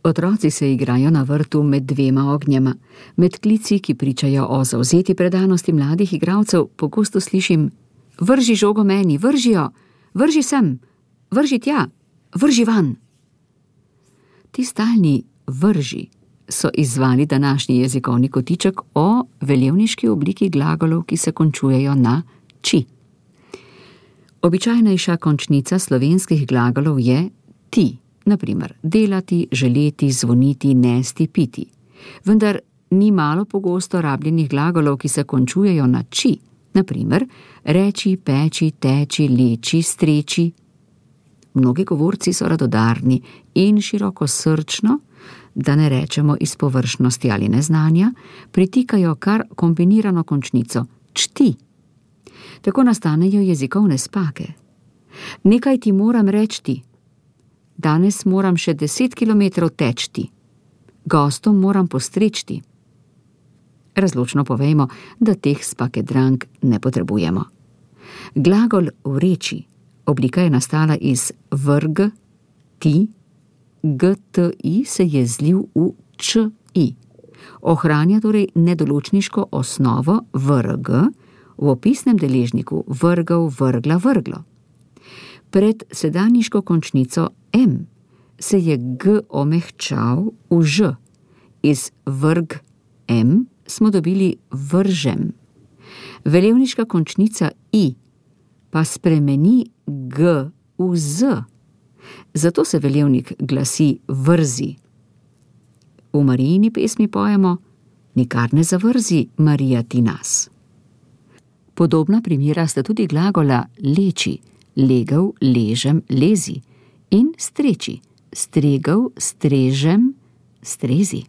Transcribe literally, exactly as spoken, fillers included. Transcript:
Otroci se igrajo na vrtu med dvema ognjema. Med klici, ki pričajo o zavzeti predanosti mladih igralcev, pogosto slišim: vrži žogo meni, vrži jo, vrži sem, vrži tja, vrži van. Ti stalni vrži so izzvali današnji jezikovni kotiček o veljevniški obliki glagolov, ki se končujejo na či. Običajnejša končnica slovenskih glagolov je ti, na primer delati, želeti, zvoniti, nesti, piti. Vendar ni malo pogosto rabljenih glagolov, ki se končujejo na či, na primer reči, peči, teči, leči, streči. Mnogi govorci so radodarni in širokosrčno, da ne rečemo iz površnosti ali neznanja, pritikajo kar kombinirano končnico čti. Tako nastanejo jezikovne spake. Nekaj ti moram rečti. Danes moram še deset kilometrov tečti. Gostom moram postrečti. Razločno povejmo, da teh spakedrank ne potrebujemo. Glagol vreči, oblika je nastala iz vrg, ti, gti se je zlil v či. Ohranja torej nedoločniško osnovo vrg, v opisnem deležniku vrgel, vrgla, vrglo. Pred sedanjiško končnico m se je g omehčal v ž. Iz vrg m smo dobili vržem. Veljevniška končnica i pa spremeni g v z. Zato se veljevnik glasi vrzi. V Marijini pesmi pojemo: nikar ne zavrzi, Marija, ti nas. Podobna primera sta tudi glagola leči, legel, ležem, lezi, in streči, stregel, strežem, strezi.